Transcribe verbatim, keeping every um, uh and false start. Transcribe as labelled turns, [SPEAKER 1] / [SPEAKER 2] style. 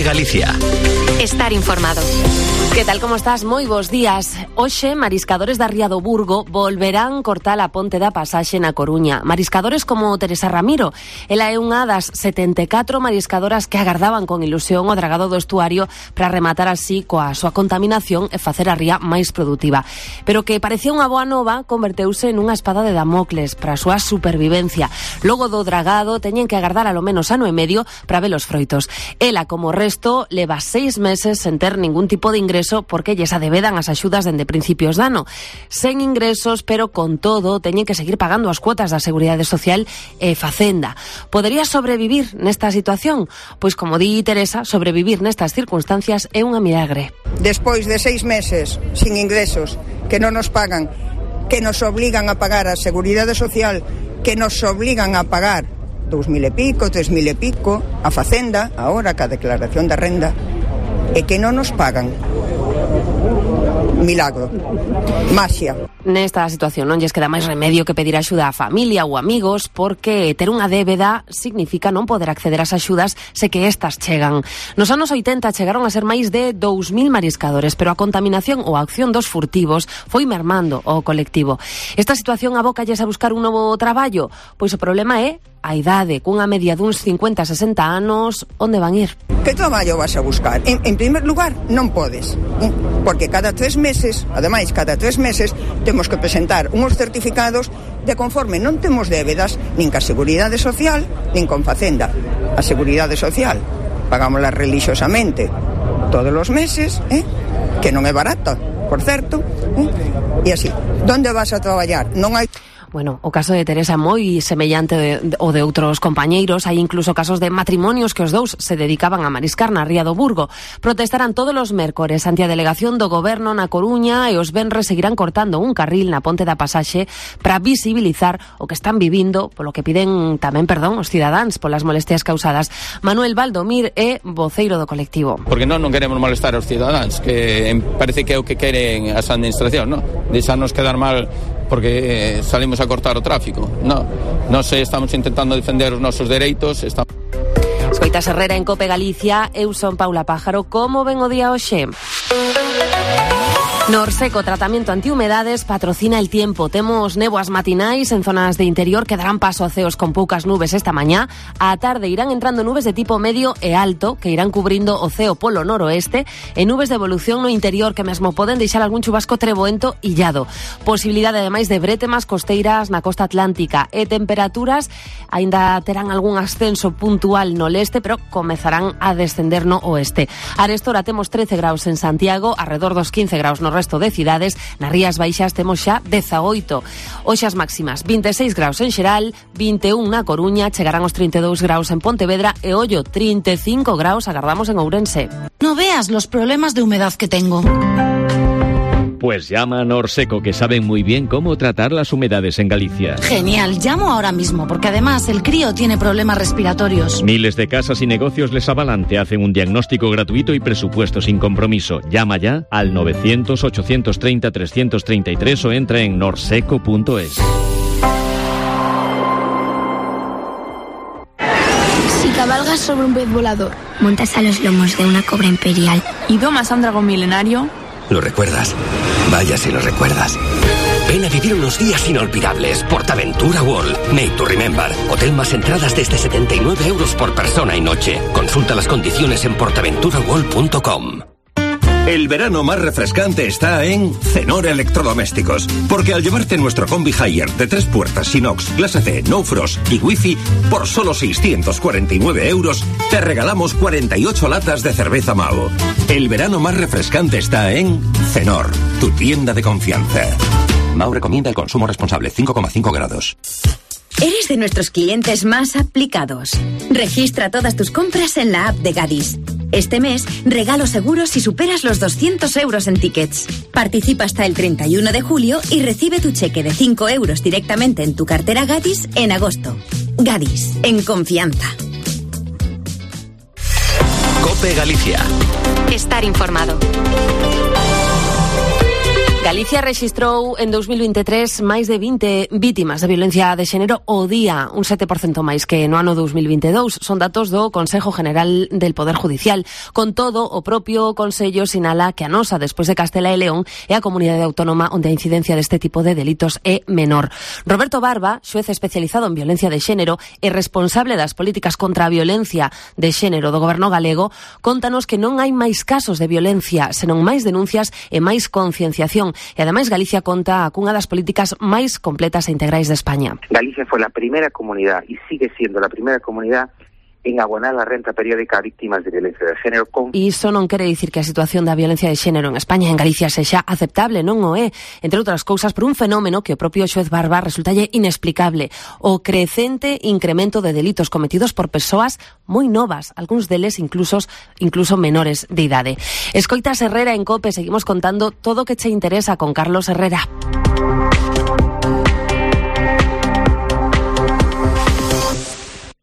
[SPEAKER 1] Galicia.
[SPEAKER 2] Estar informado.
[SPEAKER 3] Que tal, como estás? Moi bons días. Hoxe, mariscadores da Ría do Burgo volverán cortar a ponte da pasaxe na Coruña. Mariscadores como Teresa Ramiro. Ela é unha das setenta e catro mariscadoras que agardaban con ilusión o dragado do estuario para rematar así coa súa contaminación e facer a ría máis produtiva. Pero que parecía unha boa nova, converteuse nunha espada de Damocles para a súa supervivencia. Logo do dragado, teñen que agardar alo menos ano e medio para ver os froitos. Ela, como o resto, leva seis meses sen ter ningún tipo de ingreso porque lles adevedan as axudas dende principios de ano. Sen ingresos, pero con todo, teñen que seguir pagando as cuotas da Seguridade Social e Facenda. Podería sobrevivir nesta situación? Pois, como di Teresa, sobrevivir nestas circunstancias é unha milagre.
[SPEAKER 4] Despois de seis meses sin ingresos, que non nos pagan, que nos obligan a pagar a Seguridade Social, que nos obligan a pagar dous mil e pico, tres mil e pico, a Facenda, agora ca declaración da renda, e que non nos pagan. Milagro. Maxia.
[SPEAKER 3] Nesta situación non lles queda máis remedio que pedir axuda a familia ou amigos, porque ter unha débeda significa non poder acceder ás axudas se que estas chegan. Nos anos oitenta chegaron a ser máis de dous mil mariscadores, pero a contaminación ou a acción dos furtivos foi mermando o colectivo. Esta situación abócalles a buscar un novo traballo? Pois o problema é a idade, cunha media duns cincuenta a sesenta anos, onde van ir?
[SPEAKER 4] Que traballo vas a buscar? En, en primer lugar, non podes, porque cada tres meses, ademais, cada tres meses, temos que presentar uns certificados de conforme non temos débedas nin ca Seguridade Social, nin con Facenda. A Seguridade Social pagámosla relixiosamente todos os meses, eh? Que non é barata, por certo, eh? E así, onde vas a traballar? Non hai...
[SPEAKER 3] Bueno, o caso de Teresa é moi semellante de, de, o de outros compañeiros. Hai incluso casos de matrimonios que os dous se dedicaban a mariscar na Ría do Burgo. Protestarán todos os mércores ante a delegación do Goberno na Coruña e os venres seguirán cortando un carril na ponte da pasaxe para visibilizar o que están vivindo, polo que piden tamén perdón os cidadáns polas molestias causadas. Manuel Valdomir é voceiro do colectivo.
[SPEAKER 5] Porque non non queremos molestar aos cidadáns, que parece que é o que queren as administracións, non? Deixarnos quedar mal porque eh, salimos a cortar o tráfico. No, nós estamos intentando defender os nosos dereitos. Estamos...
[SPEAKER 3] Escoitas Herrera en Cope Galicia. Eu son Paula Pájaro. Como ven o día hoxe? Norseco, tratamento antihumedades, patrocina El Tiempo. Temos néboas matinais en zonas de interior que darán paso a ceos con poucas nubes esta mañá. Á tarde irán entrando nubes de tipo medio e alto que irán cubrindo o ceo polo noroeste e nubes de evolución no interior que mesmo poden deixar algún chubasco treboento illado. Posibilidade ademais de brétemas costeiras na costa atlántica e temperaturas aínda terán algún ascenso puntual no leste, pero comezarán a descender no oeste. Arestora temos trece graus en Santiago, arredor dos quince graus no resto de cidades. Nas Rías Baixas temos xa dezaoito. Hoxe as máximas: vinte e seis graus en Xeral, vinte e un na Coruña, chegarán os trinta e dous graus en Pontevedra e ollo, trinta e cinco graus agardamos en Ourense.
[SPEAKER 6] No veas los problemas de humedad que tengo.
[SPEAKER 7] Pues llama a Norseco, que saben muy bien cómo tratar las humedades en Galicia.
[SPEAKER 6] Genial, llamo ahora mismo, porque además el crío tiene problemas respiratorios.
[SPEAKER 7] Miles de casas y negocios les avalan, te hacen un diagnóstico gratuito y presupuesto sin compromiso. Llama ya al novecientos, ochocientos treinta, trescientos treinta y tres o entra en norseco punto es.
[SPEAKER 8] Si cabalgas sobre un pez volador, montas a los lomos de una cobra imperial y domas a un dragón milenario...
[SPEAKER 1] ¿Lo recuerdas? Vaya si lo recuerdas. Ven a vivir unos días inolvidables. PortAventura World. Made to remember. Hotel más entradas desde setenta y nueve euros por persona y noche. Consulta las condiciones en portaventura world punto com.
[SPEAKER 9] El verano más refrescante está en Cenor Electrodomésticos, porque al llevarte nuestro Combi Hire de tres puertas, inox, clase C, no frost y wifi, por solo seiscientos cuarenta y nueve euros, te regalamos cuarenta y ocho latas de cerveza Mao. El verano más refrescante está en Cenor, tu tienda de confianza.
[SPEAKER 1] Mao recomienda el consumo responsable, cinco coma cinco grados.
[SPEAKER 10] Eres de nuestros clientes más aplicados. Registra todas tus compras en la app de Gadis. Este mes, regalo seguro si superas los doscientos euros en tickets. Participa hasta el treinta y uno de julio y recibe tu cheque de cinco euros directamente en tu cartera Gadis en agosto. Gadis, en confianza.
[SPEAKER 1] Cope Galicia.
[SPEAKER 2] Estar informado.
[SPEAKER 3] Galicia rexistrou en dous mil veintitrés máis de vinte vítimas de violencia de xénero ao día, un sete por cento máis que no ano dous mil veintidous. Son datos do Consejo General del Poder Judicial. Con todo, o propio Consello sinala que a nosa, despois de Castela e León, é a comunidade autónoma onde a incidencia deste tipo de delitos é menor. Roberto Barba, xuez especializado en violencia de xénero e responsable das políticas contra a violencia de xénero do Goberno galego, contanos que non hai máis casos de violencia, senón máis denuncias e máis concienciación. E ademais Galicia conta cunha das políticas máis completas e integrais de España.
[SPEAKER 11] Galicia foi a primeira comunidade e sigue siendo a primeira comunidade en abonar a renta periódica a víctimas de violencia de xénero. Con...
[SPEAKER 3] E iso non quere dicir que a situación da violencia de xénero en España e en Galicia sexa aceptable, non o é, entre outras cousas por un fenómeno que o propio xuez Barba resultalle inexplicable, o crecente incremento de delitos cometidos por persoas moi novas, algúns deles incluso, incluso menores de idade. Escoitas Herrera en COPE, seguimos contando todo o que che interesa con Carlos Herrera.